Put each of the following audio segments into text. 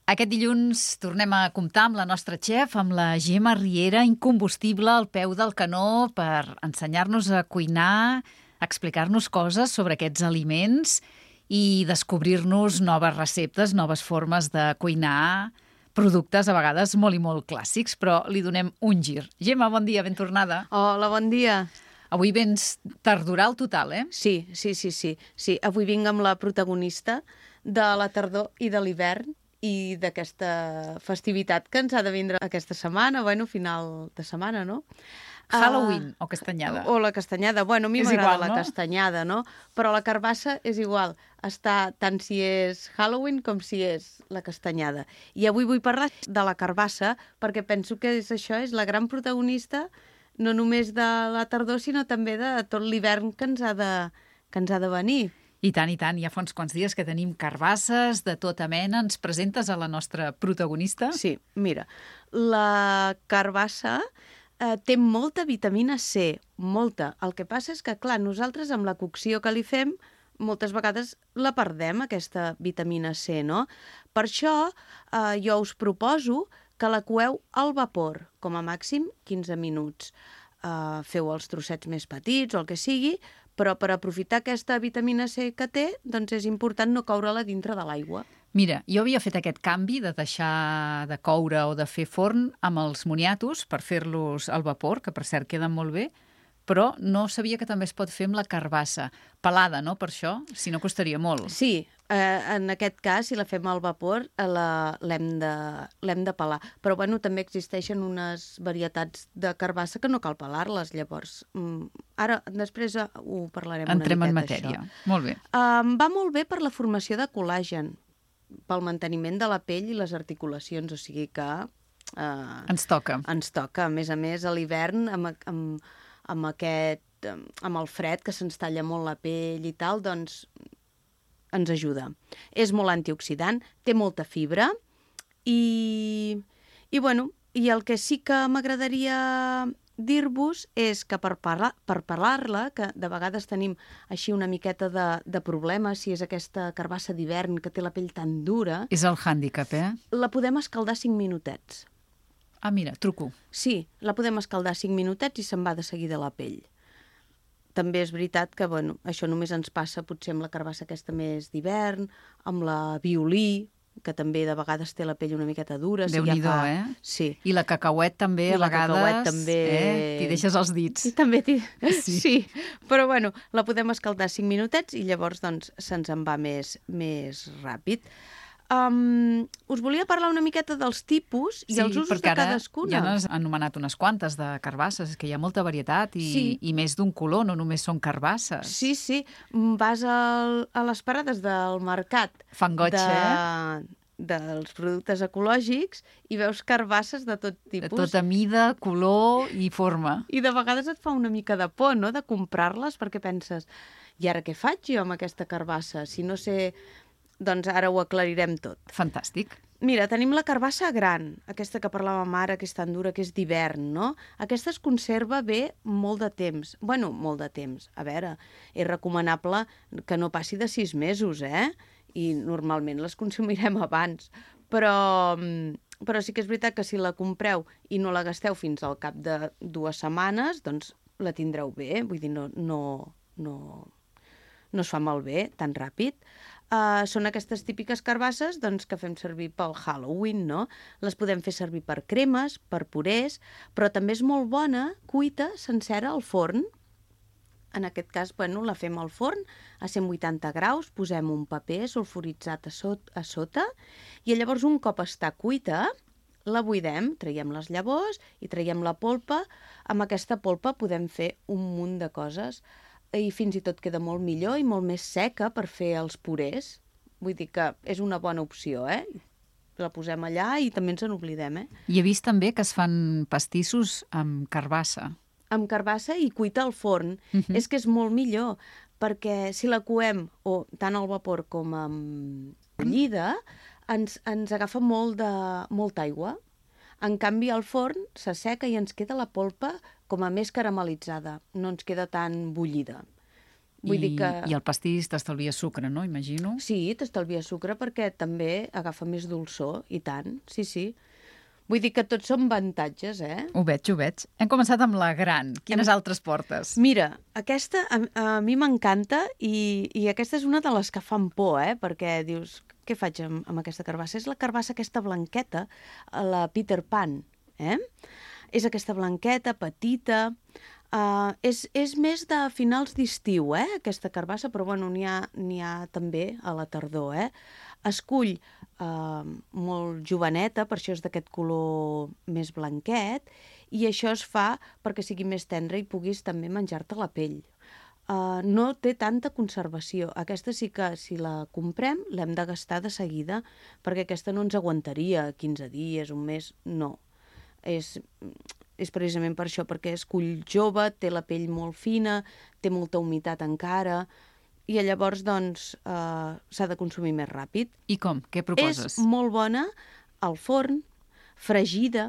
Aquest dilluns tornem a comptar amb la nostra xef, amb la Gemma Riera, incombustible al peu del canó per ensenyar-nos a cuinar, explicar-nos coses sobre aquests aliments i descobrir-nos noves receptes, noves formes de cuinar, productes a vegades molt i molt clàssics, però li donem un gir. Gemma, bon dia, ben tornada. Hola, bon dia. Avui vens tardoral total, eh? Sí. Avui vinc amb la protagonista de la tardor i de l'hivern i d'aquesta festivitat que ens ha de vindre aquesta setmana, final de setmana, no? Halloween o castanyada. O la castanyada. Bueno, a mi m'agrada igual, la no? castanyada, no? Però la carbassa és igual. Està tant si és Halloween com si és la castanyada. I avui vull parlar de la carbassa perquè penso que això és la gran protagonista no només de la tardor, sinó també de tot l'hivern que ens ha de venir. I tant, ja fa uns quants dies que tenim carbasses de tota mena. Ens presentes a la nostra protagonista? Sí, mira, la carbassa té molta vitamina C, molta. El que passa és que, clar, nosaltres amb la cocció que li fem moltes vegades la perdem, aquesta vitamina C, no? Per això jo us proposo que la coeu al vapor, com a màxim 15 minuts. Feu els trossets més petits o el que sigui, però per aprofitar aquesta vitamina C que té, doncs és important no coure-la dintre de l'aigua. Mira, jo havia fet aquest canvi de deixar de coure o de fer forn amb els moniatos per fer-los al vapor, que per cert queden molt bé, però no sabia que també es pot fer amb la carbassa. Pelada, no?, per això? Si no, costaria molt. Sí, en aquest cas, si la fem al vapor, l'hem de pelar. Però, bueno, també existeixen unes varietats de carbassa que no cal pelar-les, llavors. Ara, després ho parlarem Entrem una en miqueta, matèria. això. Molt bé. Va molt bé per la formació de col·làgen, pel manteniment de la pell i les articulacions, o sigui que... Ens toca. Ens toca. A més, a l'hivern, amb el fred, que se'ns talla molt la pell i tal, doncs ens ajuda. És molt antioxidant, té molta fibra i el que sí que m'agradaria dir-vos és que per parlar-la, que de vegades tenim així una miqueta de problema, si és aquesta carbassa d'hivern que té la pell tan dura... És el hàndicap, eh? La podem escaldar 5 minutets. Ah, mira, truco. Sí, la podem escaldar 5 minutets i se'n va de seguida la pell. També és veritat que, això només ens passa potser amb la carbassa aquesta més d'hivern, amb la violí, que també de vegades té la pell una miqueta dura. Déu-n'hi-do, eh? Sí. I la cacauet també, a vegades... I la cacauet també... T'hi deixes els dits. I també sí. Però, la podem escaldar 5 minutets i llavors, doncs, se'ns en va més ràpid. Us volia parlar una miqueta dels tipus i els usos de cadascuna. Ja n'has anomenat unes quantes de carbasses, que hi ha molta varietat i més d'un color, no només són carbasses. Sí. Vas a les parades del mercat dels productes ecològics i veus carbasses de tot tipus. De tota mida, color i forma. I de vegades et fa una mica de por, no?, de comprar-les, perquè penses, i ara què faig jo amb aquesta carbassa? Si no sé... Doncs ara ho aclarirem tot. Fantàstic. Mira, tenim la carbassa gran, aquesta que parlàvem ara, que és tan dura, que és d'hivern, no? Aquesta es conserva bé molt de temps. Molt de temps. A veure, és recomanable que no passi de 6 mesos, eh? I normalment les consumirem abans. Però sí que és veritat que si la compreu i no la gasteu fins al cap de 2 setmanes, doncs la tindreu bé. Vull dir, no es fa malbé tan ràpid. Són aquestes típiques carbasses que fem servir pel Halloween, no? Les podem fer servir per cremes, per purés, però també és molt bona cuita sencera al forn. En aquest cas, la fem al forn a 180 graus, posem un paper sulfuritzat a sota i llavors un cop està cuita, la buidem, traiem les llavors i traiem la polpa. Amb aquesta polpa podem fer un munt de coses i fins i tot queda molt millor i molt més seca per fer els purés. Vull dir que és una bona opció, eh? La posem allà i també ens en oblidem, eh? I he vist també que es fan pastissos amb carbassa. Amb carbassa i cuita al forn. És que és molt millor, perquè si la coem o tant al vapor com amb bullida, ens agafa molta aigua. En canvi, al forn s'asseca i ens queda la polpa com a més caramelitzada, no ens queda tan bullida. Vull dir que... I el pastís t'estalvia sucre, no? Imagino. Sí, t'estalvia sucre perquè també agafa més dolçor, i tant, sí, sí. Vull dir que tots són avantatges, eh? Ho veig, ho veig. Hem començat amb la gran. Quines altres portes? Mira, aquesta a mi m'encanta i aquesta és una de les que fan por, perquè dius, què faig amb aquesta carbassa? És la carbassa aquesta blanqueta, la Peter Pan, És aquesta blanqueta, petita, és més de finals d'estiu, aquesta carbassa, però bueno, n'hi ha també a la tardor, Escull molt joveneta, per això és d'aquest color més blanquet, i això es fa perquè sigui més tendra i puguis també menjar-te la pell. No té tanta conservació. Aquesta sí que, si la comprem, l'hem de gastar de seguida, perquè aquesta no ens aguantaria 15 dies, un mes, no. És precisament per això, perquè és cull jove, té la pell molt fina, té molta humitat encara, i llavors, doncs, s'ha de consumir més ràpid. I com? Què proposes? És molt bona al forn, fregida,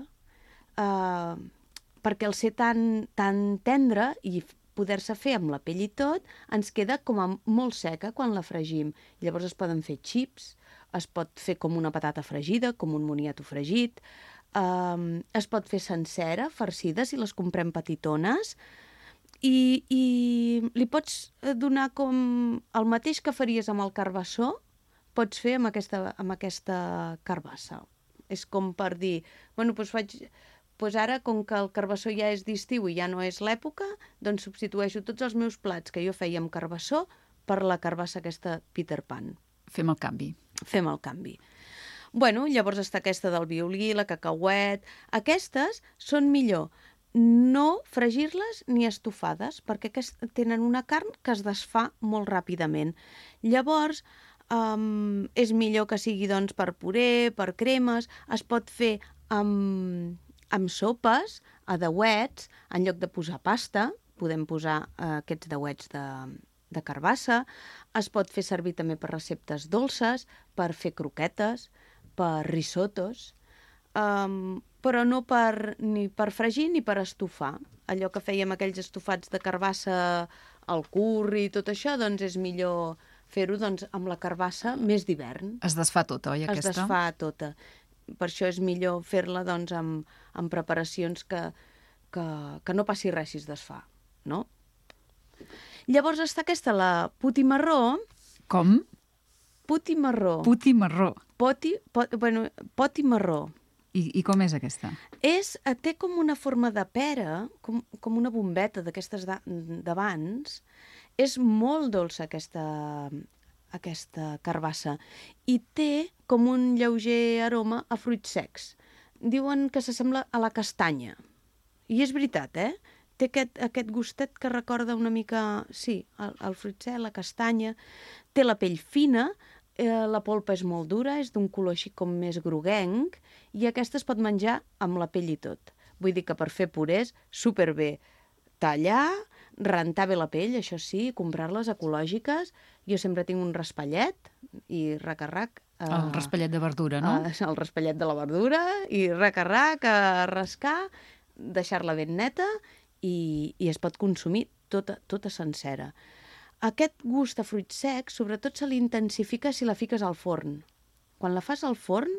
perquè al ser tan tendra i poder-se fer amb la pell i tot, ens queda com a molt seca quan la fregim. Llavors es poden fer xips, es pot fer com una patata fregida, com un moniato fregit, es pot fer sencera, farcida, si les comprem petitones, i li pots donar com el mateix que faries amb el carbassó, pots fer amb aquesta carbassa. És com per dir, bueno, doncs ara, com que el carbassó ja és d'estiu i ja no és l'època, doncs substitueixo tots els meus plats que jo feia amb carbassó per la carbassa aquesta Peter Pan. Fem el canvi. Fem el canvi. Bueno, llavors està aquesta del violí, la cacauet... Aquestes són millor no fregir-les ni estofades, perquè tenen una carn que es desfà molt ràpidament. Llavors, és millor que sigui doncs, per puré, per cremes, es pot fer amb sopes, a deuets, en lloc de posar pasta, podem posar aquests deuets de carbassa, es pot fer servir també per receptes dolces, per fer croquetes, per risottos, però no ni per fregir ni per estofar. Allò que fèiem aquells estofats de carbassa al curri i tot això, doncs és millor fer-ho amb la carbassa més d'hivern. Es desfà tota, oi, aquesta? Es desfà tota. Per això és millor fer-la amb preparacions que no passi res si es desfà, no? Llavors està aquesta, la puti marró. Com? Puti marró. Puti marró. Poti marró. I com és aquesta? Té com una forma de pera, com una bombeta d'aquestes d'abans. És molt dolça aquesta carbassa i té com un lleuger aroma a fruits secs. Diuen que s'assembla a la castanya. I és veritat, Té aquest gustet que recorda una mica, sí, el fruit sec, la castanya. Té la pell fina, la polpa és molt dura, és d'un color així com més groguenc, i aquesta es pot menjar amb la pell i tot. Vull dir que per fer purés, superbé. Tallar, rentar bé la pell, això sí, comprar-les ecològiques. Jo sempre tinc un raspallet i rac-a-rac. El raspallet de verdura, no? El raspallet de la verdura i rac-a-rac, a rascar, deixar-la ben neta i es pot consumir tota sencera. Aquest gust a fruits secs, sobretot se l'intensifica si la fiques al forn. Quan la fas al forn,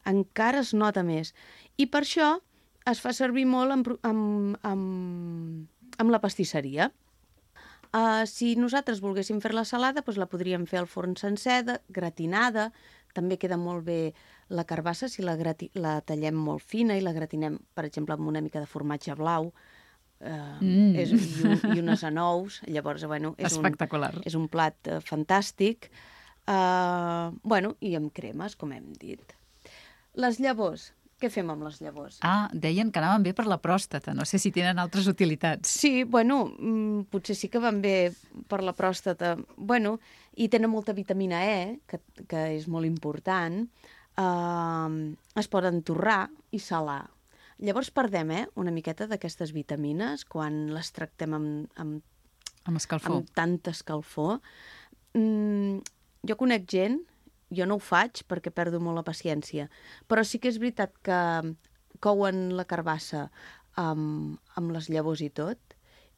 encara es nota més. I per això es fa servir molt amb la pastisseria. Si nosaltres volguéssim fer la salada, doncs la podríem fer al forn sencera, gratinada. També queda molt bé la carbassa si la tallem molt fina i la gratinem, per exemple, amb una mica de formatge blau. I unes anous. Llavors, bueno, espectacular. És un plat fantàstic. I amb cremes, com hem dit. Les llavors. Què fem amb les llavors? Deien que anaven bé per la pròstata. No sé si tenen altres utilitats. Sí, potser sí que van bé per la pròstata. I tenen molta vitamina E, que és molt important. Es poden torrar i salar. Llavors perdem una miqueta d'aquestes vitamines quan les tractem amb escalfor. Amb tanta escalfor. Jo conec gent, jo no ho faig perquè perdo molt la paciència, però sí que és veritat que couen la carbassa amb les llavors i tot,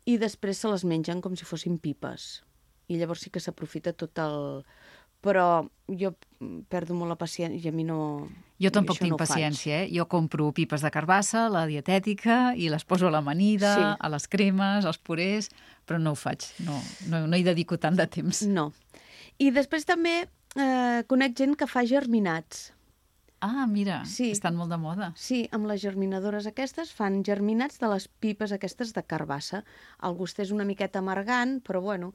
i després se les mengen com si fossin pipes. i llavors sí que s'aprofita tot el... Però jo perdo molt la paciència i a mi no... Jo tampoc això tinc no ho faig. paciència, eh? Jo compro pipes de carbassa, la dietètica, i les poso a l'amanida, Sí. a les cremes, als purés, però no ho faig, no hi dedico tant de temps. No. I després també conec gent que fa germinats. Ah, mira, Sí. estan molt de moda. Sí, amb les germinadores aquestes fan germinats de les pipes aquestes de carbassa. El gust és una miqueta amargant, però bueno,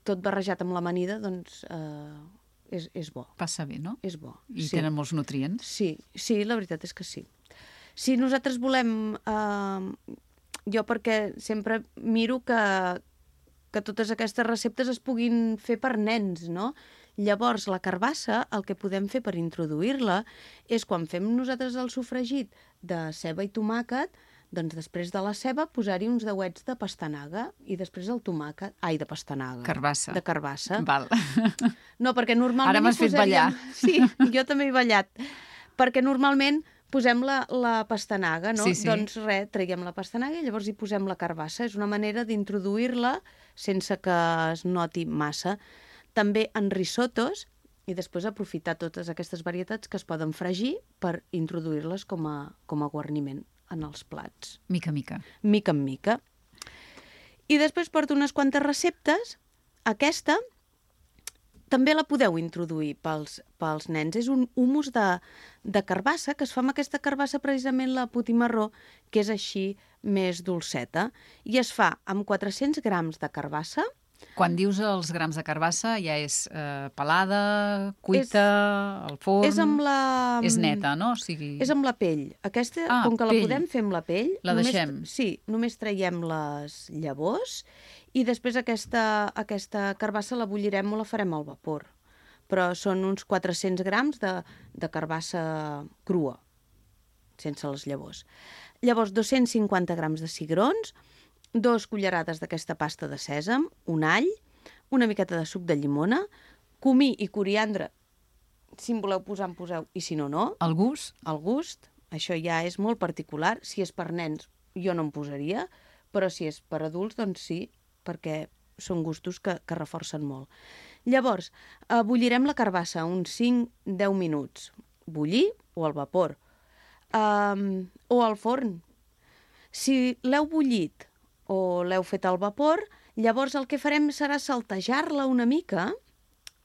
tot barrejat amb l'amanida, doncs és bo. Passa bé, no? És bo. I tenen molts nutrients. Sí, la veritat és que sí. Si nosaltres volem... jo perquè sempre miro que totes aquestes receptes es puguin fer per nens, no? Llavors, la carbassa, el que podem fer per introduir-la és quan fem nosaltres el sofregit de ceba i tomàquet, doncs després de la ceba posar-hi uns deuets de pastanaga i després el tomàquet... Ai, de pastanaga. Carbassa. De carbassa. Val. No, perquè normalment... Ara m'has fet ballar. Sí, jo també he ballat. Perquè normalment posem la pastanaga, no? Sí, sí. Doncs res, traiem la pastanaga i llavors hi posem la carbassa. És una manera d'introduir-la sense que es noti massa. També en risotos i després aprofitar totes aquestes varietats que es poden fregir per introduir-les com a guarniment en els plats. Mica, mica. Mica en mica. I després porto unes quantes receptes. Aquesta també la podeu introduir pels nens. És un humus de carbassa, que es fa amb aquesta carbassa precisament la potimarró, que és així més dolceta. I es fa amb 400 grams de carbassa. Quan dius els grams de carbassa, ja és pelada, cuita, al forn... És amb la... És neta, no? O sigui... És amb la pell. Aquesta, com que pell. la podem fer amb la pell... La deixem. Sí, només traiem les llavors i després aquesta carbassa la bullirem o la farem al vapor. Però són uns 400 grams de carbassa crua, sense les llavors. Llavors, 250 grams de cigrons, 2 cullerades d'aquesta pasta de sèsam, un all, una miqueta de suc de llimona, comí i coriandre, si en voleu posar, en poseu, i si no, no. El gust? El gust, això ja és molt particular. Si és per nens, jo no en posaria, però si és per adults, doncs sí, perquè són gustos que reforcen molt. Llavors, bullirem la carbassa uns 5-10 minuts. Bullir o al vapor. O al forn. Si l'heu bullit o l'heu fet al vapor, llavors el que farem serà saltejar-la una mica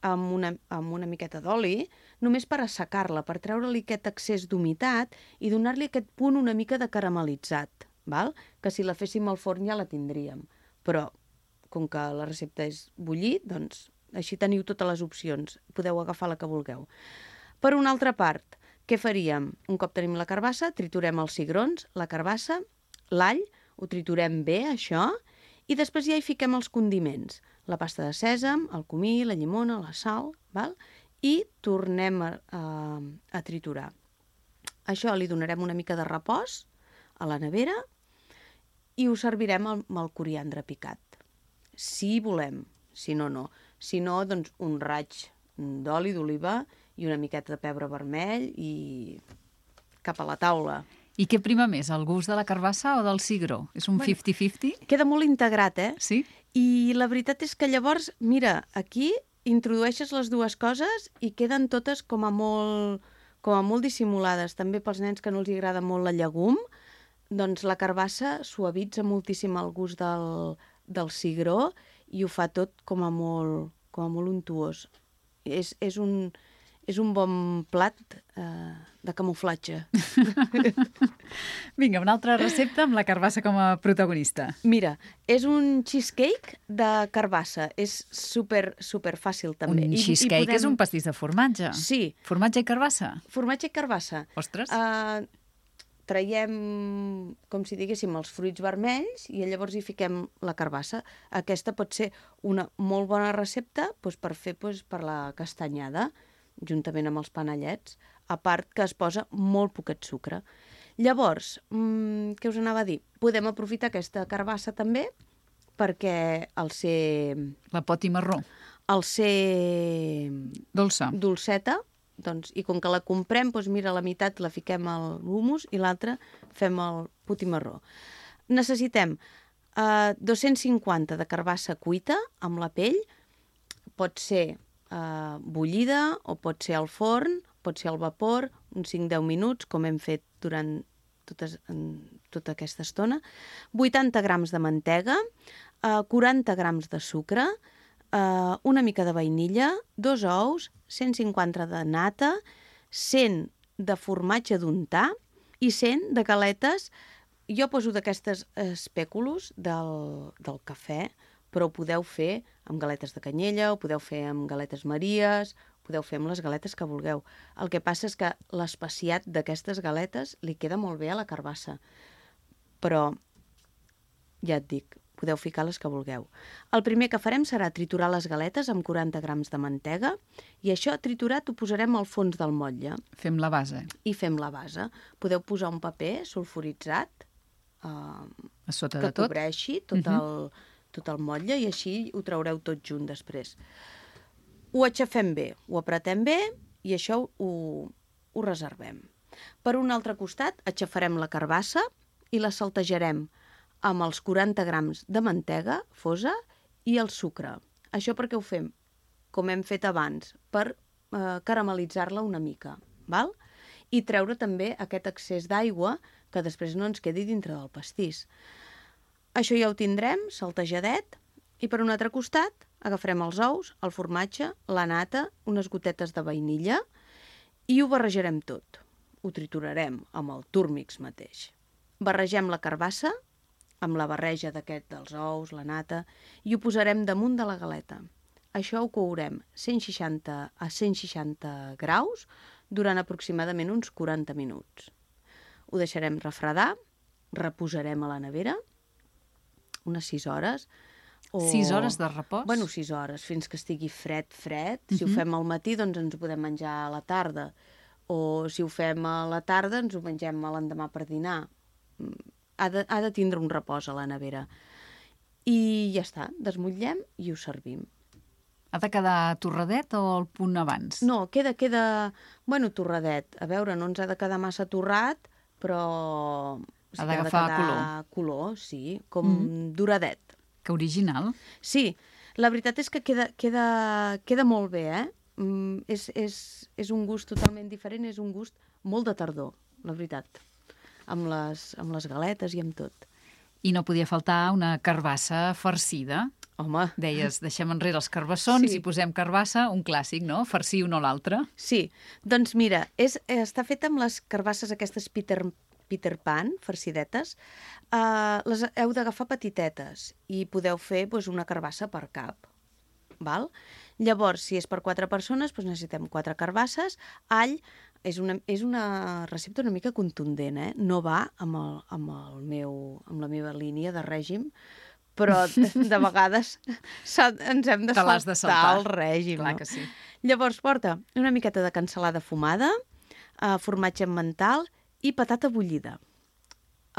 amb una miqueta d'oli, només per assecar-la, per treure-li aquest excés d'humitat i donar-li aquest punt una mica de caramelitzat, val? Que si la féssim al forn ja la tindríem. Però, com que la recepta és bullir, doncs així teniu totes les opcions. Podeu agafar la que vulgueu. Per una altra part, què faríem? Un cop tenim la carbassa, triturem els cigrons, la carbassa, l'all, ho triturem bé, això, i després ja hi fiquem els condiments. La pasta de sèsam, el comí, la llimona, la sal, val? I tornem a triturar. Això li donarem una mica de repòs a la nevera i ho servirem amb el coriandre picat. Si volem, si no, no. Si no, doncs un raig d'oli d'oliva i una miqueta de pebre vermell i cap a la taula. I què prima més, el gust de la carbassa o del cigró? És un 50-50? Queda molt integrat, eh? Sí? I la veritat és que llavors, mira, aquí introdueixes les dues coses i queden totes com a molt dissimulades. També pels nens que no els agrada molt la llegum, doncs la carbassa suavitza moltíssim el gust del cigró i ho fa tot com a molt untuós. És un bon plat de camuflatge. Vinga, una altra recepta amb la carbassa com a protagonista. Mira, és un cheesecake de carbassa. És super fàcil, també. Un cheesecake és un pastís de formatge. Sí. Formatge i carbassa? Formatge i carbassa. Ostres. Traiem, com si diguéssim, els fruits vermells i llavors hi fiquem la carbassa. Aquesta pot ser una molt bona recepta per fer per la castanyada, juntament amb els panellets, a part que es posa molt poquet sucre. Llavors, què us anava a dir? Podem aprofitar aquesta carbassa també perquè al ser... La potimarró. Al ser... dolceta, doncs, i com que la comprem, doncs mira, la meitat la fiquem al hummus i l'altra fem el potimarró. Necessitem 250 de carbassa cuita amb la pell, pot ser bullida o pot ser al forn, pot ser al vapor, uns 5-10 minuts, com hem fet durant tota aquesta estona, 80 grams de mantega, 40 grams de sucre, una mica de vainilla, 2 ous, 150 de nata, 100 de formatge d'untar i 100 de galetes. Jo poso d'aquestes espèculos del cafè, però ho podeu fer amb galetes de canyella, ho podeu fer amb galetes maries, podeu fer amb les galetes que vulgueu. El que passa és que l'especiat d'aquestes galetes li queda molt bé a la carbassa. Però, ja et dic, podeu ficar les que vulgueu. El primer que farem serà triturar les galetes amb 40 grams de mantega i això triturat ho posarem al fons del motlle. Fem la base. I fem la base. Podeu posar un paper sulfuritzat A sota que de tot. cobreixi tot el motlle i així ho traureu tot junt després. Ho aixafem bé, ho apretem bé i això ho reservem. Per un altre costat, aixafarem la carbassa i la saltejarem amb els 40 grams de mantega fosa i el sucre. Això perquè ho fem, com hem fet abans, per caramelitzar-la una mica, val? I treure també aquest excés d'aigua que després no ens quedi dintre del pastís. Això ja ho tindrem, saltejadet, i per un altre costat agafarem els ous, el formatge, la nata, unes gotetes de vainilla i ho barrejarem tot. Ho triturarem amb el túrmix mateix. Barregem la carbassa amb la barreja dels ous, la nata, i ho posarem damunt de la galeta. Això ho courem a 160 graus durant aproximadament uns 40 minuts. Ho deixarem refredar, reposarem a la nevera unes 6 hores. 6 hores de repòs? Bueno, 6 hores, fins que estigui fred. Si ho fem al matí, doncs ens ho podem menjar a la tarda. O si ho fem a la tarda, ens ho mengem a l'endemà per dinar. Ha de tindre un repòs a la nevera. I ja està, desmotllem i ho servim. Ha de quedar torradet o al punt abans? No, queda torradet. A veure, no ens ha de quedar massa torrat, però ha d'agafar color, sí, com doradet. Que original. Sí, la veritat és que queda molt bé, eh? És un gust totalment diferent, és un gust molt de tardor, la veritat, amb les galetes i amb tot. I no podia faltar una carbassa farcida. Home. Deies, deixem enrere els carbassons i posem carbassa, un clàssic, no? Farcir un o l'altre. Sí, doncs mira, està feta amb les carbasses aquestes Peter Pan, farcidetes. Les heu d'agafar petitetes i podeu fer una carbassa per cap. Val? Llavors, si és per 4 persones, necessitem 4 carbasses. All és una recepta una mica contundent, eh? No va amb la meva línia de règim, però de vegades ens hem de saltar el règim. Clar que sí. Llavors porta una miqueta de cansalada fumada, formatge emmental i patata bullida.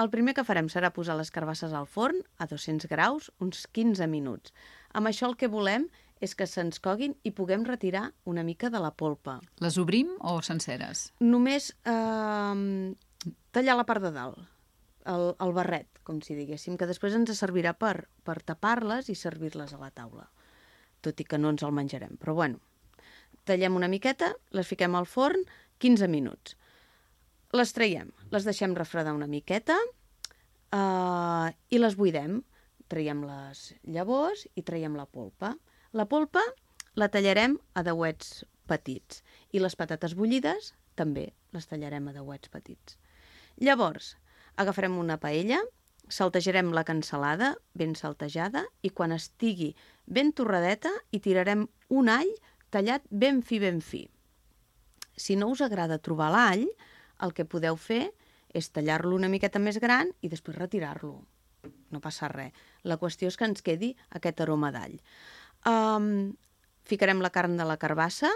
El primer que farem serà posar les carbasses al forn a 200 graus uns 15 minuts. Amb això el que volem és que se'ns coguin i puguem retirar una mica de la polpa. Les obrim o senceres? Només tallar la part de dalt, el barret, com si diguéssim, que després ens servirà per tapar-les i servir-les a la taula. Tot i que no ens el menjarem, però bueno. Tallem una miqueta, les fiquem al forn 15 minuts. Les traiem, les deixem refredar una miqueta i les buidem. Traiem les llavors i traiem la polpa. La polpa la tallarem a dauets petits i les patates bullides també les tallarem a dauets petits. Llavors, agafarem una paella, saltejarem la cansalada ben saltejada i quan estigui ben torradeta hi tirarem un all tallat ben fi. Si no us agrada trobar l'all, el que podeu fer és tallar-lo una miqueta més gran i després retirar-lo. No passa res. La qüestió és que ens quedi aquest aroma d'all. Ficarem la carn de la carbassa,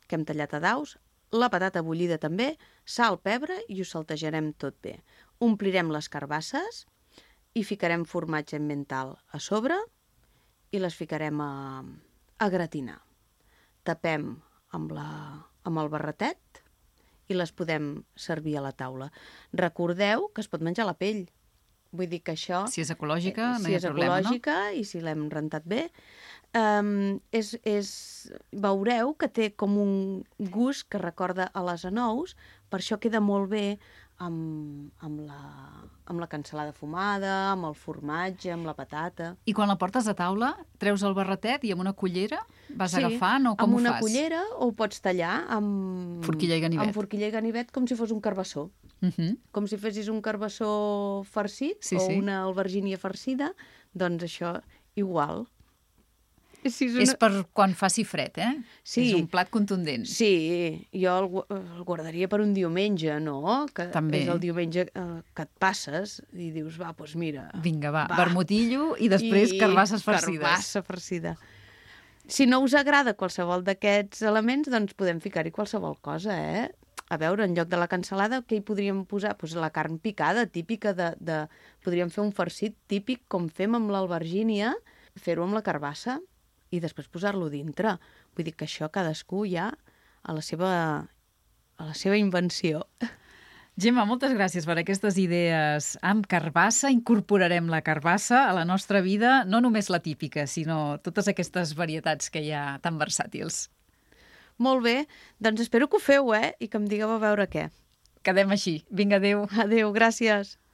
que hem tallat a daus, la patata bullida també, sal, pebre i ho saltejarem tot bé. Omplirem les carbasses i ficarem formatge emmental a sobre i les ficarem a gratinar. Tapem amb el barretet i les podem servir a la taula. Recordeu que es pot menjar la pell. Vull dir que això... Si és ecològica, no si hi ha és problema, ecològica i si l'hem rentat bé, veureu que té com un gust que recorda a les anous, per això queda molt bé amb la cansalada fumada, amb el formatge, amb la patata. I quan la portes a taula, treus el barretet i amb una cullera vas agafant o com ho fas? Amb una cullera o ho pots tallar amb... Forquilla i ganivet. Amb forquilla i ganivet com si fos un carbassó. Com si fessis un carbassó farcit una albergínia farcida, doncs això igual. És per quan faci fred, eh? Sí. És un plat contundent. Sí, jo el guardaria per un diumenge, no? Que també. És el diumenge que et passes i dius, va, doncs mira... Vinga, va, vermutillo i després carbasses farcides. Carbassa farcida. Si no us agrada qualsevol d'aquests elements, doncs podem ficar-hi qualsevol cosa, eh? A veure, en lloc de la cansalada, què hi podríem posar? Pues la carn picada, típica de... Podríem fer un farcit típic, com fem amb l'albergínia, fer-ho amb la carbassa i després posar-lo dintre. Vull dir que això cadascú ja a la seva invenció. Gemma, moltes gràcies per aquestes idees amb carbassa. Incorporarem la carbassa a la nostra vida, no només la típica, sinó totes aquestes varietats que hi ha tan versàtils. Molt bé, doncs espero que ho feu, I que em digueu a veure què. Quedem així. Vinga, adéu. Adéu, gràcies.